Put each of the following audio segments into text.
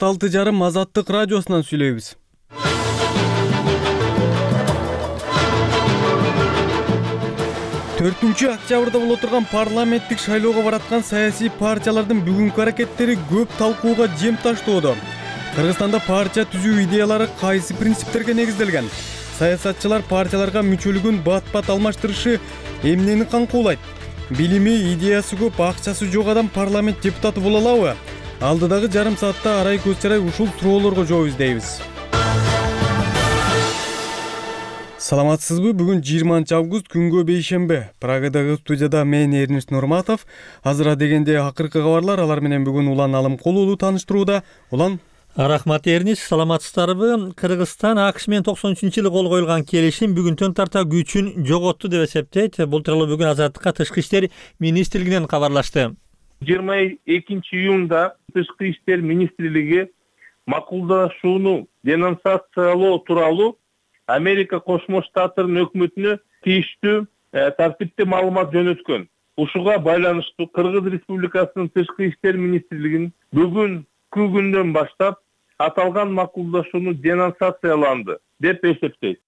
46,5 Азаттык радиосунан сүйлөйбүз. Октябрда боло турган парламенттик шайлоого бараткан саясий партиялардын бүгүнкү аракеттери көп талкууга жем таштоодо. Кыргызстанда партия түзүү идеялары кайсы принциптерге негизделген? Саясатчылар партияларга мүчөлүгүн бат-бат алмаштырышы эмнени камкуулайт? Билими, идеясы көп, акчасы жок адам парламент депутаты боло алабы? Алдыдагы жарым саатта арай көз чарай ушул суроолорго жооп издейбиз. Саламатсызбы? Бүгүн 20 август күнгө бейшембе. Прагадагы студияда мен Эрнис Нурматов. Азыр дегенде акыркы кабарлар, алар менен бүгүн Улан Алымкулуулу тааныштырууда. Улан. Рахмат Эрнис, саламатсыздарбы? Кыргызстан АКШ менен 93-жылы кол коюлган келишим бүгүнтөн тарта күчүн жоготту деп эсептейт. Бул тууралуу бүгүн Азаттыкка Тышкы иштер министрлигинен кабарлашты. 22 июнда Тышкы иштер министрлиги макулдашууну денонсациялоо тууралуу Америка Кошмо Штаттарынын өкмөтүнө тийиштүү тартипти маалымат жөнөткөн. Ушуга байланыштуу Кыргыз Республикасынын Тышкы иштер министрлигинин бүгүн күндөн баштап аталган макулдашууну денонсацияланды деп эсептейт.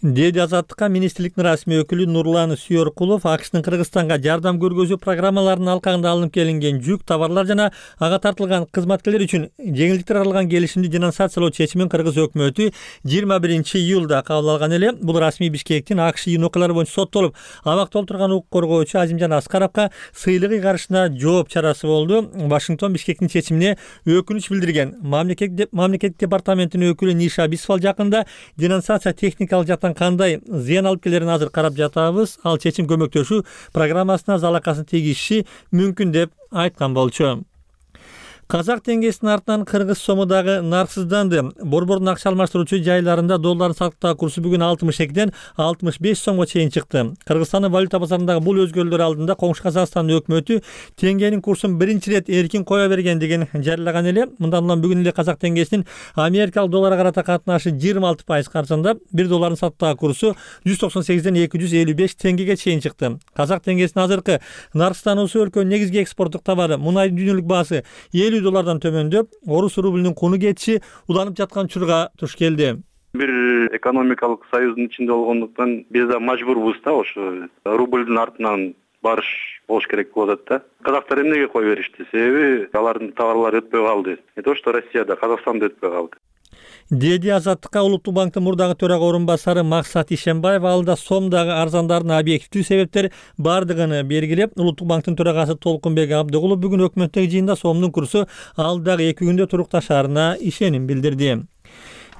Деди Азаттыкка министрликтин расмий өкүлү Нурлан Сүйөркулов АКШтын Кыргызстанга жардам көргөзүү программаларынын алкагында алынып келинген жүк, товарлар жана ага тартылган кызматкерлер үчүн жеңилдиктер аралган келишимди денонсациялоо чечимин Кыргыз өкмөтү 21 июлда кабыл алган эле. Бул расмий Бишкектин АКШ июнь окуялары боюнча соттолуп абакта отурган укук коргоочу Азимжан Аскаровго сыйлык ыйгарышына жооп чарасы болду. Вашингтон Бишкектин чечимине өкүнүч билдирген. Мамлекеттик департаментинин өкүлү Ниша Бисфал жакында денонсация техникалык жактан кандай зыян алып келерин азыр карап жатабыз. Ал чечим көмөктөшүү программасына залакасын тийгизиши мүмкүн деп айткан болчу. Казак теңгесинин артынан кыргыз сому дагы нарксызданды. Борбордун акча алмаштыруучу жайларында доллардын сатуу курсу бүгүн 62ден 65 сомго чейин чыкты. Кыргызстандын валюта базарындагы бул өзгөрүүлөр алдында коңшу Казакстандын өкмөтү теңгенин курсун биринчи ирет эркин кое бергендигин жарыяган эле. Мындан улам бүгүн эле казак теңгесинин америкалык долларга карата катнашы 26% каржындап, 1 доллардын сатуу курсу 198ден 255 теңгеге чейин чыкты. Казак теңгесинин азыркы нарксыздануусу өлкөнүн негизги экспорттук товары мунайдын дүйнөлүк баасы $50 төмөндөп, орус рублинин куну кетиши уланып жаткан учурга туш келди. Бир экономикалык союздун ичинде болгондуктан биз да мажбурбуз да ошо рублдун артынан барыш болуш керек болуп атат да. Казактар эмнеге кой беришти? Себеби алардын товарлары өтпөй калды. То, что Россияда, Казакстанда өтпөй калды. Деди Азаттыкка Улуттук банктын мурдагы төрага орун басары Максат Ишембаев алда сомдагы арзандардын объективдүү себептер бардыгын белгилеп, Улуттук банктын төрагасы Толкунбек Абдыгулов бүгүн өкмөттүк жыйында сомдун курсу алдагы 2 күндө турукташарына ишеним билдирди.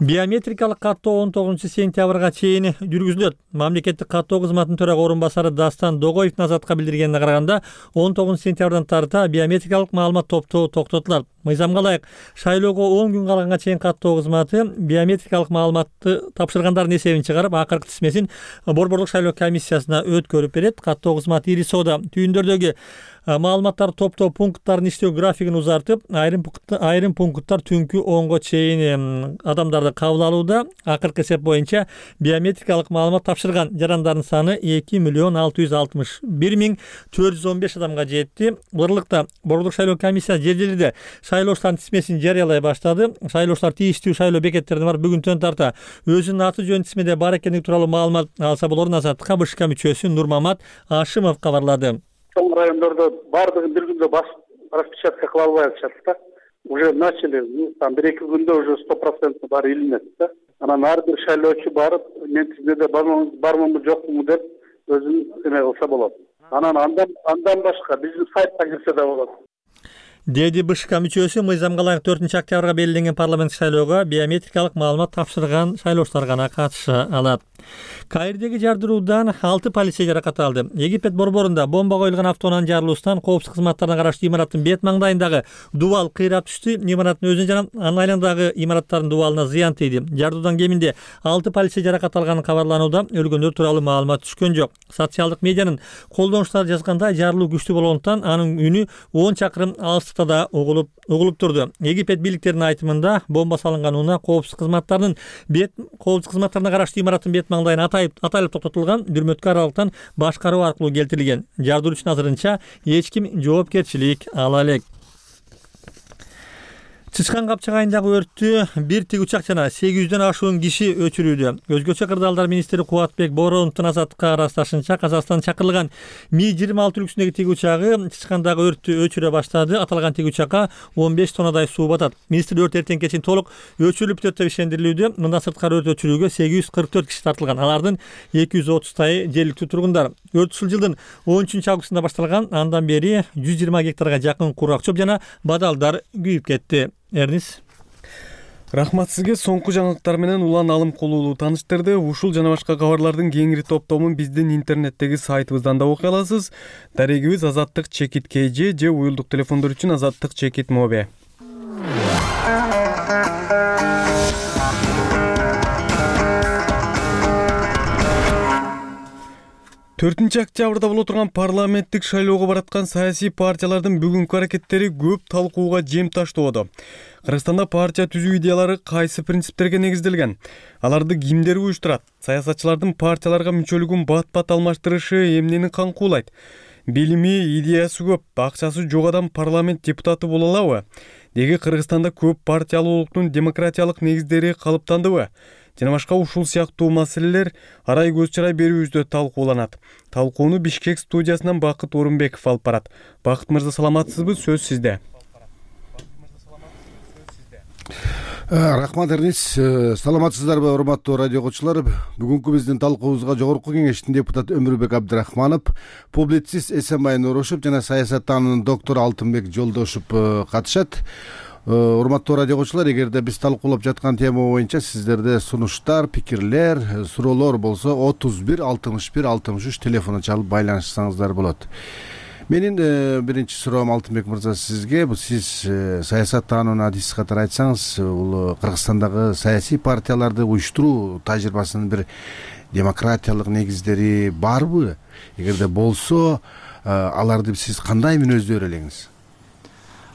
Биометрикалык каттоо 19 сентябрга чейин жүргүзүлөт. Мамлекеттик каттоо кызматынын төрага орун басары Дастан Догоевдин Азаттыкка билдиргенине караганда 19 сентябрдан тарта биометрикалык маалымат топтоо токтотулат. Мыйзамга ылайык шайлоого 10 күн калганга чейин каттоо кызматы биометрикалык маалыматты тапшыргандардын эсебин чыгарып, акыркы тизмесин борбордук шайлоо комиссиясына өткөрүп берет. Каттоо кызматы ири соода түйүндөрдөгү маалыматтар топтоо пункттарын иштөө графигин узартып, айрым пункттар түнкү 10го чейин адамдарды кабыл алууда. Акыркы эсеп боюнча биометрикалык маалымат тапшырган жарандардын саны 2,661,415 адамга жетти. Бырлыкта борбордук шайлоо комиссиясы жер-жерлерде шайлоочулардын тизмесин жарыялай баштады. Шайлоочулар тийиштүү шайлоо бекеттерине барып бүгүнтөн тарта өзүнүн аты жөнү тизмеде бар экендиги тууралуу маалымат алса болорун Азаттыкка БШК мүчөсү Нурмамат Ашимов кабарлады. Чоң райондордо бардыгын бир күндө распечатка кыла албай атышат да. Уже начали, там 1-2 күндө уже 100% баары илинет да. Анан ар бир шайлоочу барып, мен тизмеде бармынбы жокму деп өзүн эме кылса болот. Анан андан башка биздин сайтка кирсе да болот. Деди БШК мүчөсү мыйзамга ылайык 4 октябрга белгиленген парламенттик шайлоого биометрикалык маалымат тапшырган шайлоочулар гана катыша алат. Каирдеги жардыруудан 6 полицей жаракат алды. Египет борборунда бомба коюлган автоунаанын жарылуусунан коопсуздук кызматтарына караштуу имараттын бет маңдайындагы дубал кыйрап түштү. Имараттын өзүнө жана анын айланадагы имараттардын дубалына зыян тийди. Жардыруудан кеминде 6 полицей жаракат алганы кабарланууда. Өлгөндөр тууралуу маалымат түшкөн жок. Социалдык медианын колдонуучулары жазгандай, жарылуу күчтүү болгондуктан анын үнү 10 чакырым алыстыкта да угулуп турду. Египет бийликтеринин айтымында бомба салынган унаа коопсуздук кызматтарына караштуу имараттын бет маңдайын атайлып токтотулган, дүрмөткө аралыктан башкаруу аркылуу келтирилген. Жардыруучунун азырынча эч ким жоопкерчилик ала элек. Чычкан капчыгайындагы өрттү бир тигучак жана 800дөн ашуун киши өчүрүүдө. Өзгөчө кырдаалдар министри Кубатбек Бороновдун азаттыкка ырасташынча Казакстан чакырылган Ми-26 үлгүсүндөгү тигучагы чычкандагы өрттү өчүрө баштады. Аталган тигучакка 15 тоннадай суу батат. Министр өрт эртең кечин толук өчүрүлүп бүтөт деп ишендирилүүдө. Мындан сырткары өрт өчүрүүгө 844 киши тартылган. Алардын 230тайы жергиликтүү тургундар. Өрт ушул жылдын 13 августунда башталган. Андан бери 120 гектарга жакын кургак чөп жана бадалдар күйүп кетти. Эрнис. Рахмат сизге. Соңку жаңылыктар менен Улан Алымкулуулу тааныштырды. Ушул жана башка кабарлардын кеңири топтомун биздин интернеттеги сайтыбыздан да окуй аласыз. Дарегибиз Азаттык чекит КЖ же уюлдук телефондор үчүн Азаттык чекит МОБ. 4 октябрда боло турган парламенттик шайлоого бараткан саясий партиялардын бүгүнкү аракеттери көп талкууга жем таштоодо. Кыргызстанда партия түзүү идеялары кайсы принциптерге негизделген? Аларды кимдер уюштурат? Саясатчылардын партияларга мүчөлүгүн бат-бат алмаштырышы эмнени камкуулайт? Билими, идеясы көп, акчасы жок адам парламент депутаты боло алабы? Деги Кыргызстанда көп партиялуулуктун демократиялык негиздери калыптандыбы? Жана башка ушул сыяктуу маселелер арай көз чарай берүүбүздө талкууланат. Талкууну Бишкек студиясынан Бакыт Орунбеков алып барат. Бакыт мырза, саламатсызбы? Сөз сизде. Рахмат Эрнис. Саламатсыздарбы, урматтуу радио окуучулар? Бүгүнкү биздин талкуубузга Жогорку Кеңештин депутаты Өмүрбек Абдрахманов, публицист Эсенбай Нурушев жана саясаттануунун доктору Алтынбек Жолдошев катышат. Урматтуу радио окуучулар, эгерде биз талкуулап жаткан тема боюнча сиздерде сунуштар, пикирлер, суроолор болсо 31 61 63 телефону чалып байланышсаңыздар болот. Менин биринчи суроом Алтынбек мырза сизге. Сиз саясаттануунун адиси катары айтсаңыз, бул Кыргызстандагы саясий партияларды уюштуруу тажрыйбасынын бир демократиялык негиздери барбы? Эгерде болсо, аларды сиз кандай мүнөздөр элеңиз?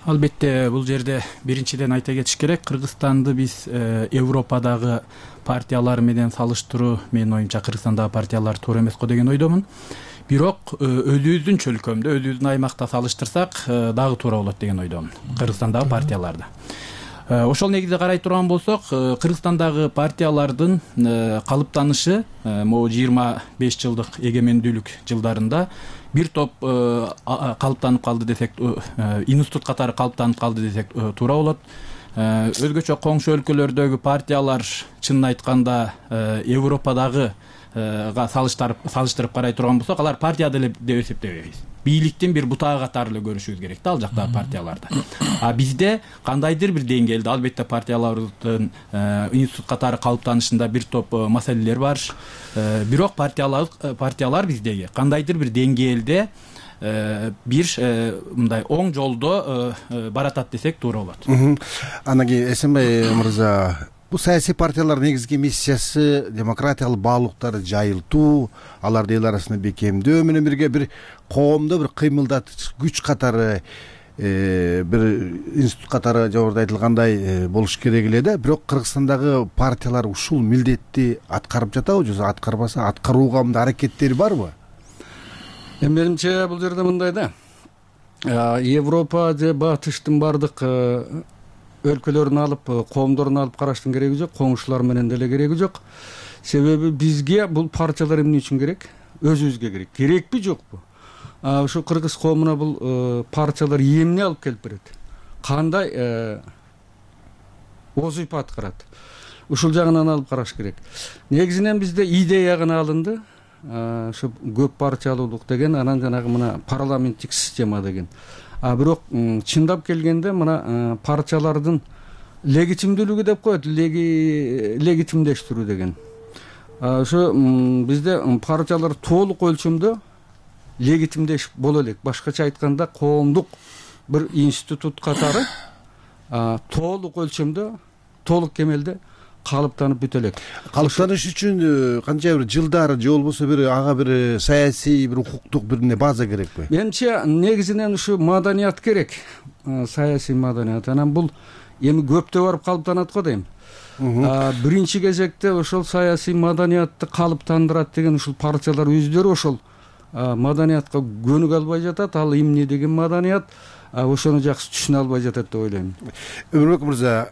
Албетте, бул жерде биринчиден айта кетиш керек. Кыргызстанды биз Европадагы партиялар менен салыштыруу, менин оюмча Кыргызстандагы партиялар туура эмес го деген ойдомун. Бирок өзүбүздүн чөлкөмдө, өзүбүздүн аймакта салыштырсак дагы туура болот деген ойдомун Кыргызстандагы партияларды. Ошол негизде карай турган болсок, Кыргызстандагы партиялардын калыптанышы могу 25 жылдык эгемендүүлүк жылдарында бир топ калыптанып калды десек, институт катары калыптанып калды десек туура болот. Өзгөчө коңшу өлкөлөрдөгү партиялар, чынын айтканда, Европадагы салыштырып карай турган болсок, алар партия деле деп эсептебейбиз. Бийликтин бир бутагы катары эле көрүшүбүз керек да ал жактагы партияларды. Бизде кандайдыр бир деңгээлде албетте партиялардын институт катары калыптанышында бир топ маселелер бар. Бирок партиялар биздеги кандайдыр бир деңгээлде бир мындай оң жолдо баратат десек туура болот. Анан кийин Эсенбай мырза, бул саясий партиялардын негизги миссиясы демократиялык баалуулуктарды жайылтуу, аларды эл арасында бекемдөө менен бирге бир коомдо бир кыймылдаткыч күч катары, бир институт катары жогоруда айтылгандай болуш керек эле да. Бирок Кыргызстандагы партиялар ушул милдетти аткарып жатабы, же аткарбаса аткарууга мындай аракеттери барбы? Менимче бул жерде мындай да. Европа же Батыштын бардык өлкөлөрүн алып, коомдорун алып караштын кереги жок, коңшулар менен деле кереги жок. Себеби бизге бул партиялар эмне үчүн керек? Өзүбүзгө керек. Керекпи, жокпу? Ушу кыргыз коомуна бул партиялар эмне алып келип берет? Кандай озуйп аткарат? Ушул жагынан алып караш керек. Негизинен бизде идея гана алынды. Ушу көп партиялуулук деген, анан жанагы мына парламенттик система деген. Бирок чындап келгенде мына партиялардын легитимдүүлүгү деп коет, легитимдештирүү деген. Ошо бизде партиялар толук өлчөмдө легитимдеш боло элек. Башкача айтканда, коомдук бир институт катары толук өлчөмдө, толук кемелде калыптанып бүтө элек. Калыптаныш үчүн канча бир жылдар же болбосо бир ага бир саясий, бир укуктук бир база керекпи? Менимче негизинен ушу маданият керек, саясий маданият. Анан бул эми көптө барып калыптанат го дейм. Биринчи кезекте ошол саясий маданиятты калыптандырат деген ушул партиялар өздөрү ошол маданиятка көнүк албай жатат, ал эмне деген маданият, ошону жакшы түшүнө албай жатат деп ойлойм. Өмүрбек мырза,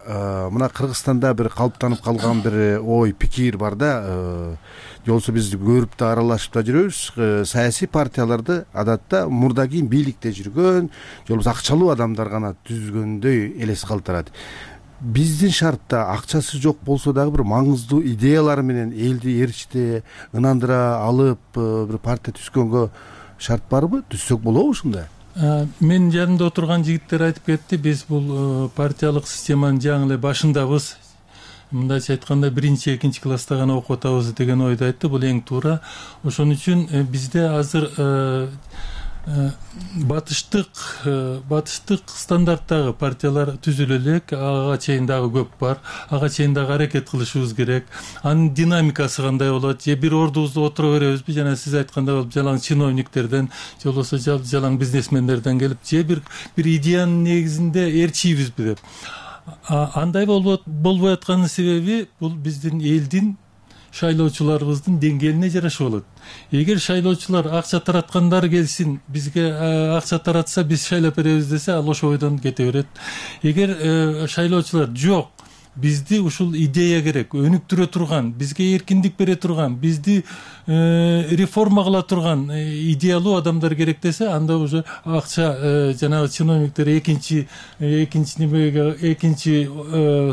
мына Кыргызстанда бир калыптанып калган бир ой пикир бар да, жолсо биз көрүп да аралашып да жүрөбүз. Саясий партияларды адатта мурда кийин бийликте жүргөн, же болбосо акчалуу адамдар гана түзгөндөй элес калтырат. Биздин шартта акчасы жок болсо дагы бир маңыздуу идеялары менен элди ээрчите ынандыра алып бир партия түзгөнгө шарт барбы? Түзсөк болобу ушундай? Мен жанымда отурган жигиттер айтып кетти, биз бул партиялык системанын жаңы эле башындабыз. Мындайча айтканда 1-2 класста гана окуп атабыз деген ойду айтты. Бул эң туура. Ошон үчүн бизде азыр батыштык стандарттагы партиялар түзүлө элек, ага чейин дагы көп бар. Ага чейин дагы аракет кылышыбыз керек. Анын динамикасы кандай болот? Же бир ордубузда отура беребизби? Жана сиз айткандай болуп, жалаң чиновниктерден, же болбосо жалаң бизнесмендерден келип, же бир идеянын негизинде ээрчийбизби деп. Андай болбой атканын себеби бул биздин элдин шайлоочуларыбыздын деңгээлине жараша болот. Эгер шайлоочулар акча тараткандар келсин, бизге акча таратса биз шайлап беребиз десе, ал ошол бойдон кете берет. Эгер шайлоочулар жок, бизди ушул идея керек, өнүктүрө турган, бизге эркиндик бере турган, бизди реформа кыла турган идеялуу адамдар керек десе, анда уже акча жанагы чиновниктер экинчи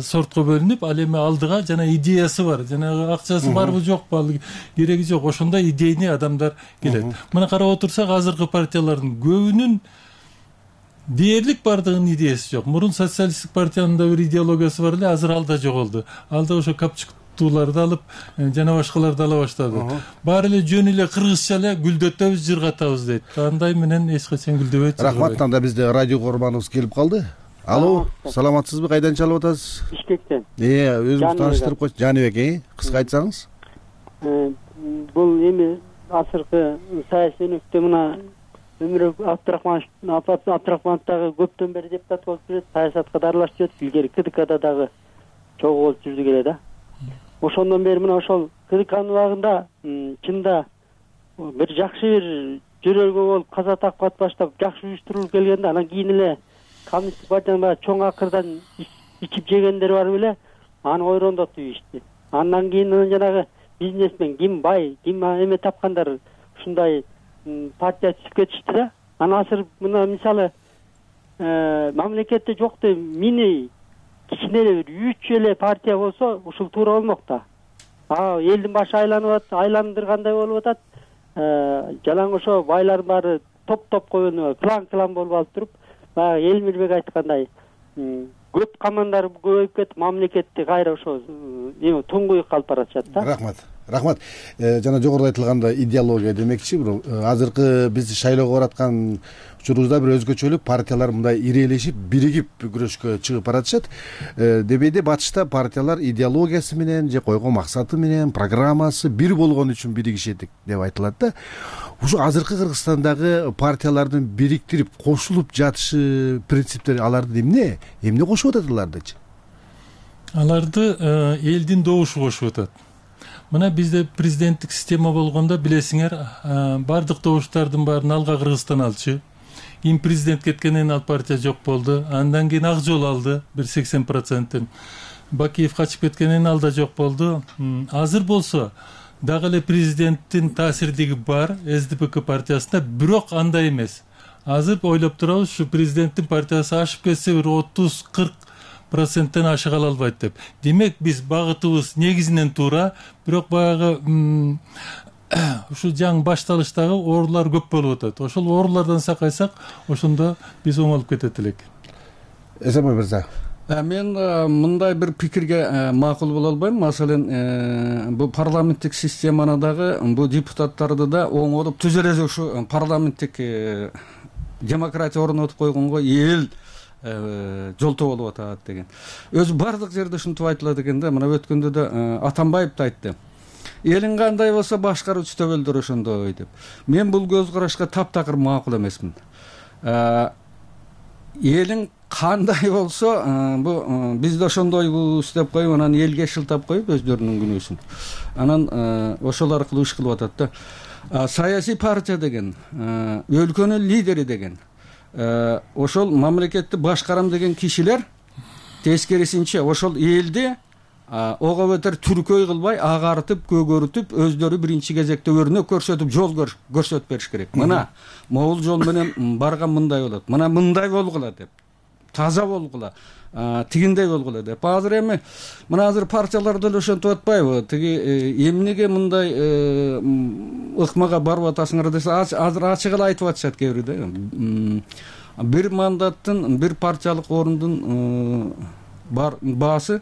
сортко бөлүнүп, ал эми алдыга жана идеясы бар, жанагы акчасы барбы жокпу, ал кереги жок, ошондо идейный адамдар келет. Мына карап отурсак, азыркы партиялардын көбүнүн дээрлик бардыгынын идеясы жок. Мурун социалисттик партиянын да бир идеологиясы бар эле, азыр ал да жоголду. Ал да ошо капчыктууларды алып, жана башкаларды ала баштады. Баары эле жөн эле кыргызча эле гүлдөтөбүз, жыргатабыз дейт. Андай менен эч качан гүлдөбөйт. Рахмат, анда бизде радио көрманыбыз келип калды. Алло, саламатсызбы? Кайдан чалып атасыз? Бишкектен. Өзүңүз тааныштырып койчу. Жаныбек, кыска айтсаңыз. Бул эми азыркы саясий өнүктө мына Өмүрбек Абдрахмановдагы көптөн бери депутат болуп жүрөт, саясатка да аралашып жүрөт, илгери КДКда дагы чогуу болуп жүрдү келе да. Ошондон бери мына ошол КДКнын убагында чында бир жакшы бир жөрөлгө болуп, каза такпат баштап жакшы уюштурулуп келгенде, анан кийин эле коммунисттик партиянын чоң акырдан ичип жегендер барып эле аны ойрондотуп ийишти. Андан кийин жанагы бизнесмен, ким бай, ким эме тапкандар ушундай партия түзүп кетишти да. Анан азыр мына мисалы мамлекетте жок деп мини кичине эле бир 3 эле партия болсо ушул туура болмок да. Элдин башы айландыргандай болуп атат. Жалаң ошо байлардын баары топ коюну клан болуп алып туруп, баягы Элмирбек айткандай көп командар көбөйүп кетип, мамлекетти кайра ошо туңгуюк калып баратышат да. Рахмат. Жана жогоруда айтылгандай идеология демекчи, азыркы биз шайлоого бараткан учурубузда бир өзгөчөлүк партиялар мындай ирелешип, биригип күрөшкө чыгып баратышат. Дебейде батышта партиялар идеологиясы менен же койгон максаты менен, программасы бир болгон үчүн биригишет деп айтылат да. Ушу азыркы Кыргызстандагы партиялардын бириктирип, кошулуп жатышы принциптери аларды эмне кошуп атат алардычы? Аларды элдин добушу кошуп атат. Мына бизде президенттик система болгондо билесиңер, бардык добуштардын баарын алга Кыргызстан алчу. Кийин президент кеткенден ал партия жок болду. Андан кийин Ак Жол алды бир 80%. Бакиев качып кеткенден ал да жок болду. Азыр болсо дагы эле президенттин таасирдиги бар СДПК партиясында, бирок андай эмес. Азыр ойлоп турабыз, ушу президенттин партиясы ашып кетсе бир 30-40% ашыга албайт деп. Демек биз багытыбыз негизинен туура, бирок баягы ушул жаңы башталыштагы оорулар көп болуп атат. Ошол оорулардан сакайсак, ошондо биз оңолуп кетет элек. Эсенбай мырза. Мен мындай бир пикирге макул боло албайм. Маселен, бул парламенттик системаны дагы, бул депутаттарды да оңолуп түз эле ушу парламенттик демократия орнотуп койгонго эл жолтоо болуп атат деген. Өзү бардык жерде ушинтип айтылат экен да. Мына өткөндө да Атамбаев да айтты. Элиң кандай болсо башкаруучу төбөлдөр ошондой деп. Мен бул көз карашка таптакыр макул эмесмин. Элиң кандай болсо, бу биз да ошондойбуз деп коюп, анан элге шылтап коюп өздөрүнүн күнөөсүн. Анан ошол аркылуу иш кылып атат да. Саясий партия деген, өлкөнүн лидери деген, ошол мамлекетти башкарам деген кишилер тескерисинче ошол элди ого бетер түркөй кылбай, агартып, көгөртүп, өздөрү биринчи кезекте өрнөк көрсөтүп, жол көрсөтүп бериш керек. Мына могул жол менен барган мындай болот, мына мындай болгула деп, таза болгула, тигиндей болгула деп. Азыр эми мына азыр партиялар деле ошентип атпайбы? Тиги эмнеге мындай ыкмага барып атасыңар десе, азыр ачык эле айтып атышат кээ бирөө да. Бир мандаттын, бир партиялык орундун баасы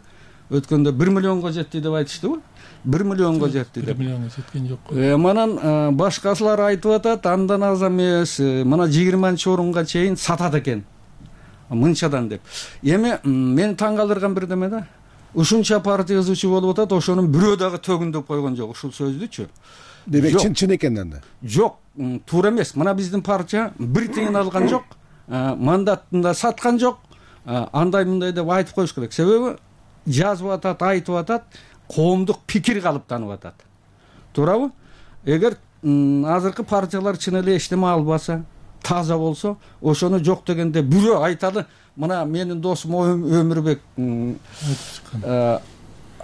өткөндө 1 миллионго жетти деп айтыштыбы? 1 миллионго жетти деп. 1 миллионго жеткен жок. Манан башкасылар айтып атат, андан аз эмес, мына 20-орунга чейин сатат экен. Мынчадан деп. Эми мен таң калтырган бир неме да. Ушунча партия ызычы болуп атат, ошонун бирөө дагы төгүндөп койгон жок ушул сөздүчү. Демек чын экенден да. Жок, туура эмес. Мына биздин партия бир тыйын алган жок, мандатын да саткан жок. Андай мындай деп айтып коюш керек. Себеби жазып атат, айтып атат, коомдук пикир калыптанып атат. Туурабы? Эгер азыркы партиялар чын эле эчтеме албаса, таза болсо, ошону жок дегенде бирөө айталы. Мына менин досум Өмүрбек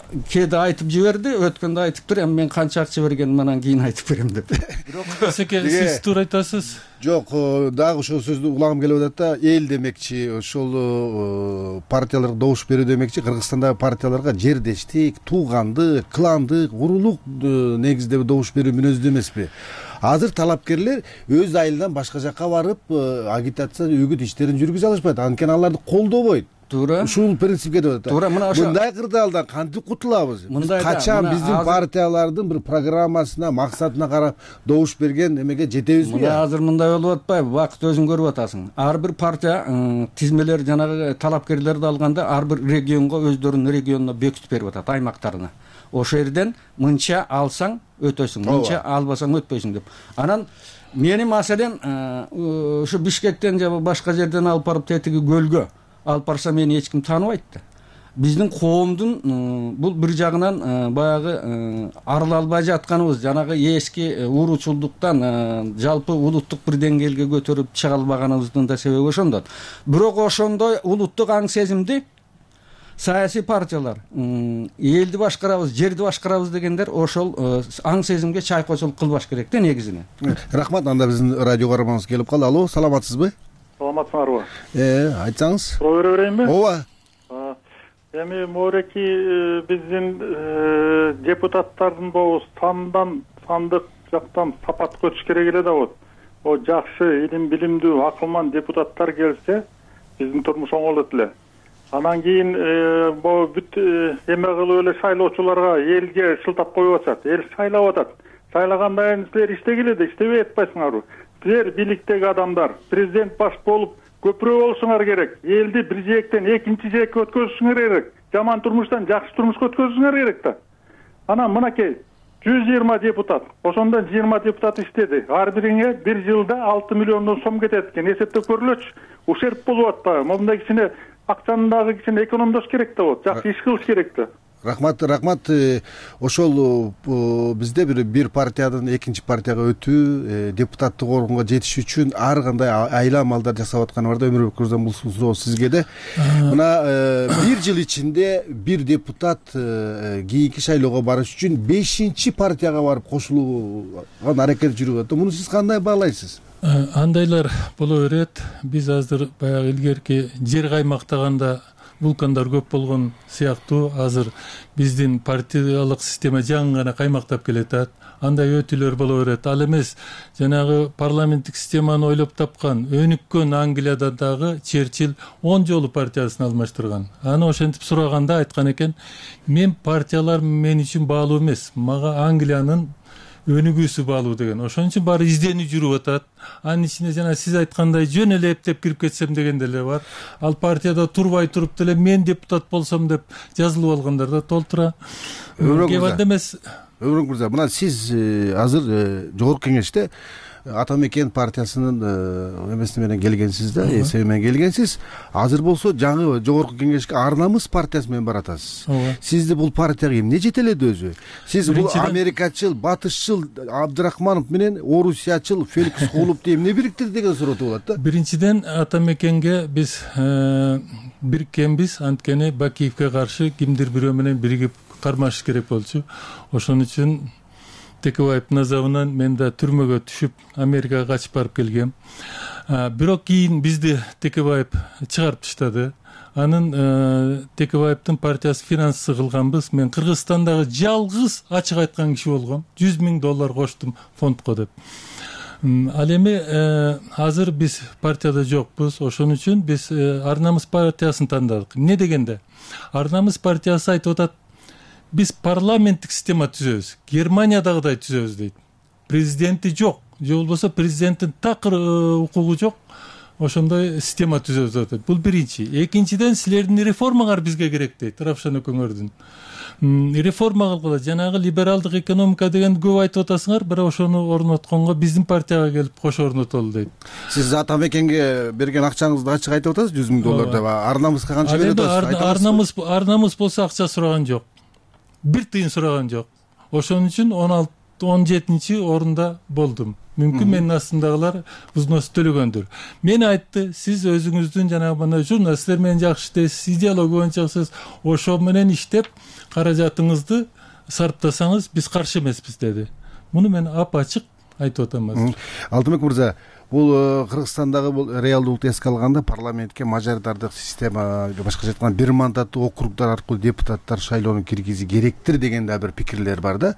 кээде айтып жиберди, өткөндө айтыптыр, эми мен канча акча бергенин анан кийин айтып берем деп. Бирок сиз туура айтасыз. Жок, дагы ошол сөздү улагым келип атат да, эл демекчи, ошол партияларга добуш берүү демекчи, Кыргызстандагы партияларга жердештик, туугандык, кландык, уруулук негизде добуш берүү мүнөздүү эмеспи? Азыр талапкерлер өз айылынан башка жакка барып, агитация, үгүт иштерин жүргүзө алышпайт, анткени аларды колдобойт. Туура. Ушул принципке деп атат. Туура, мына ошо мындай кырдаалдан кантип кутулабыз? Качан биздин партиялардын бир программасына, максатына карап добуш берген эмеге жетебизби? Мына азыр мындай болуп атпайбы? Бакыт өзүң көрүп атасың. Ар бир партия тизмелер жанагы талапкерлерди алганда ар бир регионго өздөрүнүн регионуна бекитип берип атат, аймактарына. Ошол жерден мынча алсаң өтөсүң, мынча албасаң өтпөйсүң деп. Анан мени маселен ушу Бишкектен же башка жерден алып барып тетиги көлгө алып барса мени эч ким тааныбайт да. Биздин коомдун бул бир жагынан баягы арыла албай жатканыбыз, жанагы эски уруучулдуктан жалпы улуттук бир деңгээлге көтөрүп чыга албаганыбыздын да себеби ошондон. Бирок ошондой улуттук аң сезимди саясий партиялар элди башкарабыз, жерди башкарабыз дегендер ошол аң сезимге чайкоочулук кылбаш керек да негизинен. Рахмат, анда биздин радио каарманыбыз келип калды. Алло, саламатсызбы? Саламатсыңарбы? Айтсаңыз. Суроо бере берейинби? Ооба. Эми мореки биздин депутаттардын болобу сандык жактан сапат көчүш керек эле да вот. О жакшы, илим билимдүү, акылман депутаттар келсе, биздин турмуш оңолот эле. Анан кийин бул бүт эме кылып эле шайлоочуларга элге шылтап коюп атышат. Эл шайлап атат. Шайлагандан кийин силер иштегиле да иштебей атпайсыңарбы? Силер бийликтеги адамдар, президент баш болуп көпүрө болушуңар керек. Элди бир жээктен экинчи жээкке өткөзүшүңөр керек. Жаман турмуштан жакшы турмушка өткөзүшүңөр керек да. Анан мынакей 120 депутат. Ошондон 20 депутат иштеди. Ар бириңе бир жылда 6 миллион сом кетет экен. Эсептеп көрүлөчү. Ушерп болуп атпайбы? Мындай кичине акчаны дагы кичине экономдош керек да болот. Жакшы иш кылыш керек да. Рахмат. Ошол бизде бир партиядан экинчи партияга өтүү, депутаттык орунга жетиш үчүн ар кандай айла амалдар жасап атканы бар да. Өмүрбек мырза, бул суроо сизге да. Мына бир жыл ичинде бир депутат кийинки шайлоого барыш үчүн 5-чи партияга барып кошулууга аракет жүрүп атат. Муну сиз кандай баалайсыз? Андайлар боло берет. Биз азыр баягы илгерки жер каймактаганда вулкандар көп болгон сыяктуу азыр биздин партиялык система жаңы гана каймактап келатат. Андай өтүүлөр боло берет. Ал эмес, жанагы парламенттик системаны ойлоп тапкан өнүккөн Англияда дагы Черчилль 10 жолу партиясын алмаштырган. Аны ошентип сураганда айткан экен, мен партиялар мен үчүн баалуу эмес, мага Англиянын өнүгүүсү баалуу деген. Ошон үчүн баары изденүү жүрүп атат. Анын ичинде жана сиз айткандай жөн эле эптеп кирип кетсем деген деле бар. Ал партияда турбай туруп деле мен депутат болсом деп жазылып алгандар да толтура. Кээ бирде эмес. Өмүрбек мырза, мына сиз азыр жогорку кеңеште Атамекен партиясынын эмеси менен келгенсиз да, эсеби менен келгенсиз. Азыр болсо жаңы жогорку кеңешке Ар намыс партиясы менен баратасыз. Сизди бул партияга эмне жетеледи өзү? Сиз бул америкачыл, батышчыл Абдрахманов менен орусиячыл Феликс Холубду эмне бириктирди деген суроо туулат да. Биринчиден Атамекенге биз бириккенбиз, анткени Бакиевге каршы кимдир бирөө менен биригип кармашыш керек болчу. Ошон үчүн Текебаевдин азабынан мен да түрмөгө түшүп Америкага качып барып келгем. Бирок кийин бизди Текебаев чыгарып таштады. Анын Текебаевдин партиясы финансы кылганбыз. Мен Кыргызстандагы жалгыз ачык айткан киши болгом. $100 000 коштум фондко деп. Ал эми азыр биз партияда жокпуз. Ошон үчүн биз Ар намыс партиясын тандадык. Эмне дегенде Ар намыс партиясы айтып атат, биз парламенттик система түзөбүз, Германиядагыдай түзөбүз дейт. Президенти жок, же болбосо президенттин такыр укугу жок. Ошондой система түзөбүз атат. Бул биринчи. Экинчиден, силердин реформаңар бизге керек дейт, Равшан экөөңөрдүн. Реформа кылгыла, жанагы либералдык экономика деген көп айтып атасыңар, бирок ошону орнотконго биздин партияга келип кошо орнотолу дейт. Сиз Атамекенге берген акчаңызды ачык айтып атасыз, $100 000 деп. Ар намыска канча берип атасыз? Ар намыс болсо акча сураган жок. Бир тыйын сураган жок. Ошон үчүн 17-чи орунда болдум. Мүмкүн менин астымдагылар взнос төлөгөндүр. Мен айтты, сиз өзүңүздүн жанагы мына журналисттер менен жакшы иштейсиз, идеология боюнча чаксыз, ошо менен иштеп каражатыңызды сарптасаңыз биз каршы эмеспиз деди. Муну мен ап-ачык айтып атам азыр. Алтынбек мырза, бул Кыргызстандагы бул реалдуулукту эске алганда парламентке мажоритардык система, башкача айтканда бир мандаттуу округдар аркылуу депутаттар шайлоонун киргизи керектир деген да бир пикирлер бар да.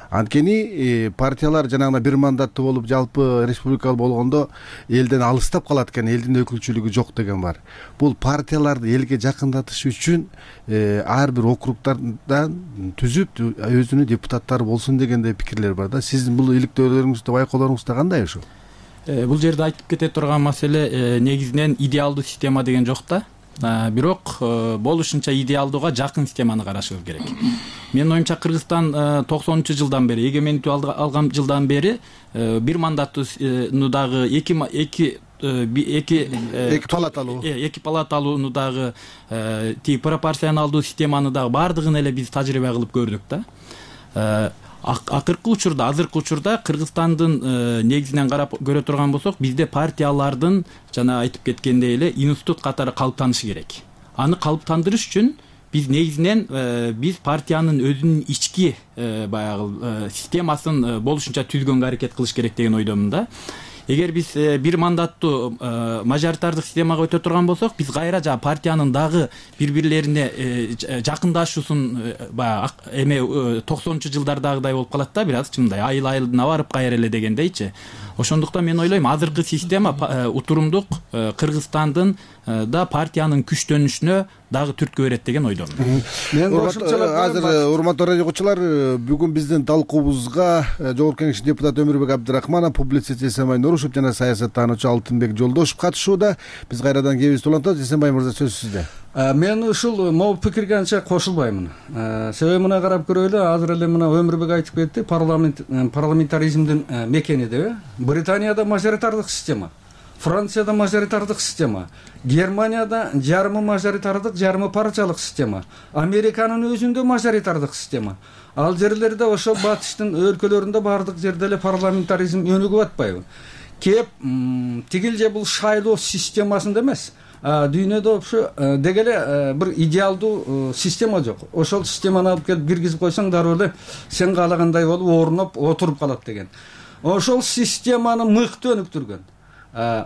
Анткени партиялар жанагы бир мандаттуу болуп жалпы республикалык болгондо элден алыстап калат экен, элдин өкүлчүлүгү жок деген бар. Бул партияларды элге жакындатыш үчүн ар бир округдардан түзүп өзүнүн депутаттары болсун дегендей пикирлер бар да. Сиздин бул иликтөөлөрүңүздө, байкоолоруңузда кандай ошо? Бул жерде айтып кете турган маселе негизинен идеалдуу система деген жок да. Бирок болушунча идеалдууга жакын системаны карашыбыз керек. Менин оюмча Кыргызстан 90-жылдан бери, эгемендик алган жылдан бери бир мандаттуунудагы эки палаталууну дагы пропорционалдуу системаны дагы баардыгын эле биз тажрыйба кылып көрдүк да. Акыркы учурда, азыркы учурда Кыргызстандын негизинен карап көрө турган болсок, бизде партиялардын жана айтып кеткендей эле институт катары калыптанышы керек. Аны калыптандырыш үчүн биз негизинен биз партиянын өзүнүн ички баягы системасын болушунча түзгөнгө аракет кылыш керек деген ойдомун да. Эгер биз бир мандаттуу мажоритардык системага өтө турган болсок, биз кайра жана партиянын дагы бири-бирлерине жакындашуусун баягы эме 90-жылдардагыдай болуп калат да, бир аз чындай айыл-айылына барып кайра эле дегендейчи. Ошондуктан мен ойлойм, азыркы система утурумдук Кыргызстандын да партиянын күчтөнүшүнө дагы түрткү берет деген ойдомун. Азыр урматтуу радио угуучулар, бүгүн биздин талкуубузга Жогорку Кеңештин депутаты Өмүрбек Абдрахманов, публицист Эсенбай Нурушев жана саясаттануучу Алтынбек Жолдошев катышууда. Биз кайрадан кебизди улантабыз. Эсенбай мырза, сөз сизде. Мен ушул могу пикирге анча кошулбаймын. Себеби мына карап көрөлү, азыр эле мына Өмүрбек айтып кетти, парламентаризмдин мекени деп. Британияда мажоритардык система, Францияда мажоритардык система, Германияда жарымы мажоритардык, жарымы партиялык система, Американын өзүндө мажоритардык система. Ал жерлерде, ошо батыштын өлкөлөрүндө бардык жерде эле парламентаризм өнүгүп атпайбы? Кеп тигил же бул шайлоо системасында эмес, дүйнөдө ошо деги эле бир идеалдуу система жок. Ошол системаны алып келип киргизип койсоң, дароо эле сен каалагандай болуп орноп отуруп калат деген. Ошол системаны мыкты өнүктүргөн,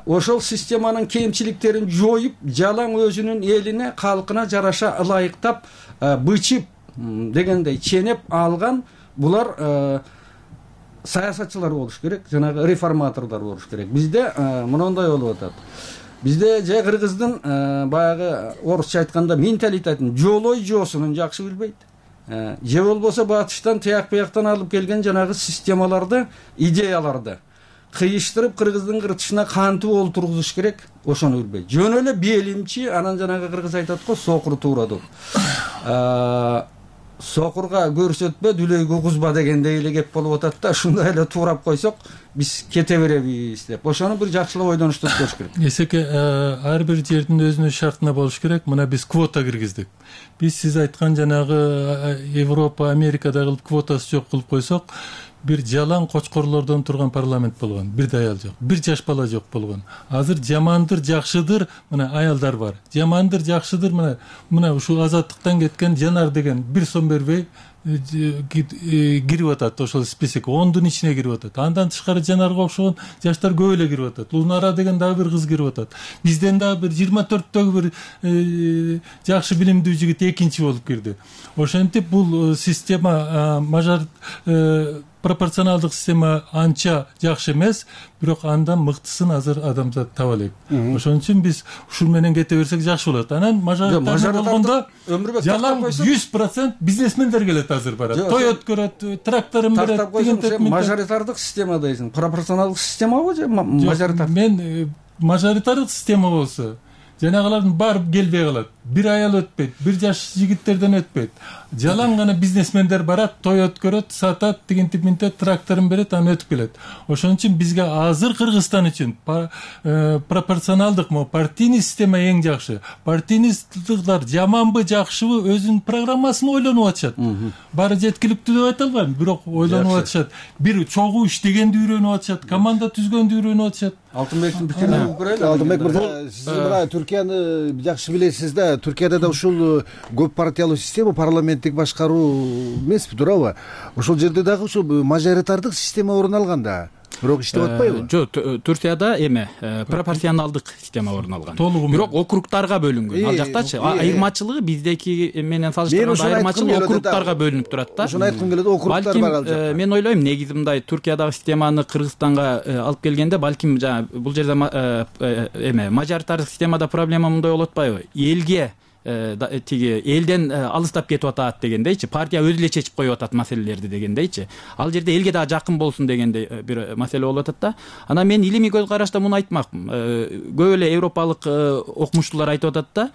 ошол системанын кемчиликтерин жоюп, жалаң өзүнүн элине, калкына жараша ылайыктап, бычып дегендей ченеп алган булар саясатчылар болуш керек, жанагы реформаторлор болуш керек. Бизде мындай болуп атат. Бизде же кыргыздын баягы орусча айтканда менталитетин, жолой жоосунун жакшы билбейт. Же болбосо батыштан тияк бияктан алып келген жанагы системаларды, идеяларды кыйыштырып кыргыздын кыртышына кантип олтургузуш керек, ошону билбейт. Жөн эле белимчи, анан жанагы кыргыз айтат го, сокуру туура деп. сокурга көрсөтпө дүлөйгө кузба дегендей эле кеп болуп атат да, ушундай эле туурап койсок биз кете беребиз деп. Ошону бир жакшылап ойдонушту өткөрүш керек. Эсеке ар бир жердин өзүнүн шартына болуш керек. Мына биз квота киргиздик. Биз сиз айткан жанагы Европа, Америкада кылып квотасы жок кылып койсок, бир жалаң кочкорлордон турган парламент болгон, бир аял жок, бир жаш бала жок болгон. Азыр жамандыр, жакшыдыр, мына аялдар бар. Жамандыр, жакшыдыр, мына ушул азаттыктан кеткен Жанар деген бир сом бербей кирип атат, ошол список 10дун ичине кирип атат. Андан тышкары Жанарга окшогон жаштар көп эле кирип атат. Лунара деген дагы бир кыз кирип атат. Бизден дагы бир 24-төгү бир жакшы билимдүү жигит экинчи болуп кирди. Ошентип бул система пропорционалдык система анча жакшы эмес, бирок андан мыктысын азыр адамзат таба элек. Ошон үчүн биз ушул менен кете берсек жакшы болот. Анан мажоритарный болгондо жалаң 100% бизнесмендер келет азыр барат. Той өткөрөт, тракторун берет. Мажоритардык система дейсиң, пропорционалдык системабы же мажоритардык? Мен мажоритардык система болсо жанагылардын баары келбей калат. Бир аял өтпөйт, бир жаш жигиттерден өтпөйт. Жалаң гана бизнесмендер барат, той өткөрөт, сатат, тигинтип минтет, тракторун берет, анан өтүп келет. Ошон үчүн бизге азыр Кыргызстан үчүн пропорционалдык партийный система эң жакшы. Партийнийдыктар жаманбы, жакшыбы өзүнүн программасын ойлонуп атышат. Баары жеткиликтүү деп айта албайм, бирок ойлонуп атышат. Бир чогуу иштегенди үйрөнүп атышат, команда түзгөндү үйрөнүп атышат. Алтынбектин пикирин угуп көрөлү. Алтынбек мырза, сиз мына Түркияны жакшы билесиз да. Түркияда да ушул көп партиялуу система, парламенттик башкаруу эмеспи, туурабы? Ошол жерде дагы ушул мажоритардык система орун алган да. Бирок иштеп атпайбы? Жок, Турцияда пропорционалдык система орун алган. Бирок округтарга бөлүнгөн. Ал жактачы айырмачылыгы биздеки менен салыштырганда айырмачылык округтарга бөлүнүп турат да. Ошону айткым келет, округтар бар ал жакта. Мен ойлойм, негизи мындай Туркиядагы системаны Кыргызстанга алып келгенде балким бул жерде мажоритардык системада проблема мындай болуп атпайбы? Элге тиги элден алыстап кетип атат дегендейчи, партия өзү эле чечип коюп атат маселелерди дегендейчи. Ал жерде элге дагы жакын болсун дегендей бир маселе болуп атат да. Анан мен илимий көз карашта муну айтмакмын. Көп эле европалык окумуштуулар айтып атат да.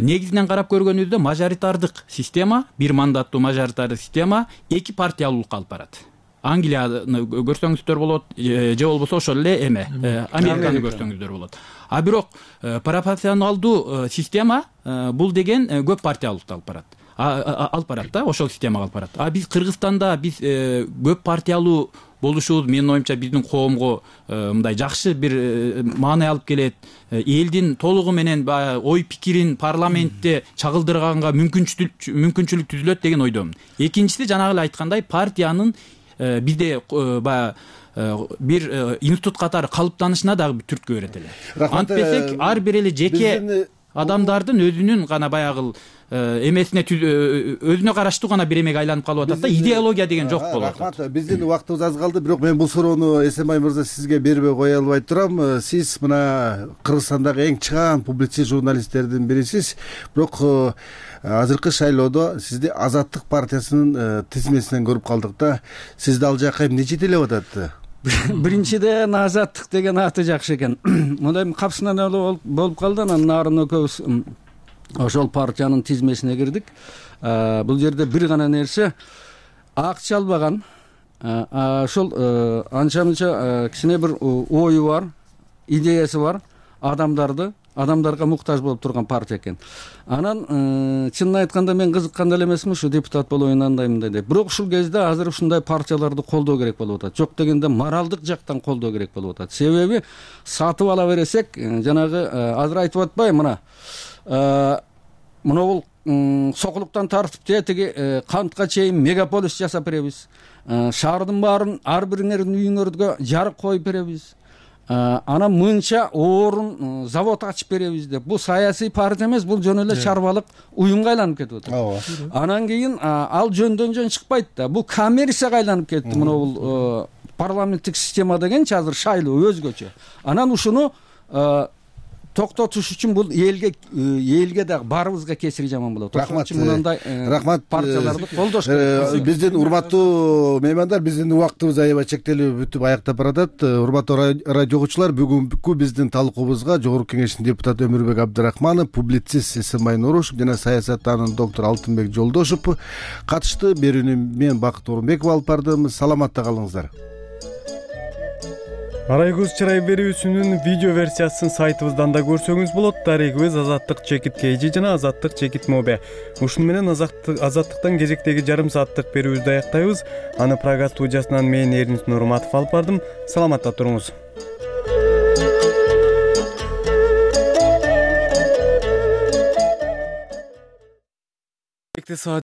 Негизинен карап көргөнүбүздө мажоритардык система, бир мандаттуу мажоритардык система эки партиялуулукка алып барат. Англияны көрсөңүздөр болот, же болбосо ошол эле Американы көрсөңүздөр болот. А бирок пропорционалдуу система бул деген көп партиялуулукту алып барат да, ошол системага алып барат. А биз Кыргызстанда биз көп партиялуу болушубуз менин оюмча биздин коомго мындай жакшы бир маани алып келет. Элдин толугу менен ой пикирин парламентте чагылдырганга мүмкүнчүлүк түзүлөт деген ойдомун. Экинчиси жанагы эле айткандай партиянын бизде бир институт катары калыптанышына дагы бир түрткү берет эле. Антпесек ар бир эле жеке адамдардын өзүнүн гана баягы эмесине өзүнө караштуу гана бир эмеге айланып калып атат да, идеология деген жок болуп атат. Рахмат, биздин убактыбыз аз калды, бирок мен бул суроону Эсенбай мырза сизге бербей кое албай турам. Сиз мына Кыргызстандагы эң чыгаан публицист журналисттердин бирисиз, бирок азыркы шайлоодо сизди Азаттык партиясынын тизмесинен көрүп калдык да. Сизди ал жака эмне жетелеп атат? Биринчиден Азаттык деген аты жакшы экен. Мындай капсынан эле болуп калды, анан нарын экөөбүз ошол партиянын тизмесине кирдик. Бул жерде бир гана нерсе, акча албаган, ошол анча-мынча кичине бир ою бар, идеясы бар, адамдарга муктаж болуп турган партия экен. Анан чынын айтканда мен кызыккан деле эмесмин, ушу депутат болоюн андай мындай деп. Бирок ушул кезде азыр ушундай партияларды колдоо керек болуп атат. Жок дегенде моралдык жактан колдоо керек болуп атат. Себеби сатып ала бересек, жанагы азыр айтып атпайбы, мына бул Сокулуктан тартып тетиги Кантка чейин мегаполис жасап беребиз. Шаардын баарын ар бириңердин үйүңөргө жарык коюп беребиз. Анан мынча орун завод ачып беребиз деп. Бул саясий партия эмес, бул жөн эле чарбалык уюмга айланып кетип атат. Анан кийин ал жөндөн жөн чыкпайт да. Бул коммерцияга айланып кетти. Мына бул парламенттик система дегенчи азыр шайлоо өзгөчө. Анан ушуну токтотуш үчүн бул элге дагы баарыбызга кесири жаман болот. Рахмат. Мындай партияларды колдош керек. Биздин урматтуу меймандар, биздин убактыбыз аябай чектелип бүтүп аяктап баратат. Урматтуу радио угуучулар, бүгүнкү биздин талкуубузга Жогорку Кеңештин депутаты Өмүрбек Абдрахманов, публицист Эсенбай Нурушев жана саясаттануучу доктор Алтынбек Жолдошев катышты. Берүүнү мен Бакыт Орунбеков алып бардым. Саламатта калыңыздар. Арай көз чырай берүүсүнүн видео версиясын сайтыбыздан да көрсөңүз болот. Дарегибиз Азаттык Чекит KG жана Азаттык Чекит Mobe. Ушуну менен Азаттыктан кезектеги жарым сааттык берүүбүздү аяктайбыз. Аны Прага студиясынан мен Эрнис Нурматов алып бардым. Саламатта туруңуз.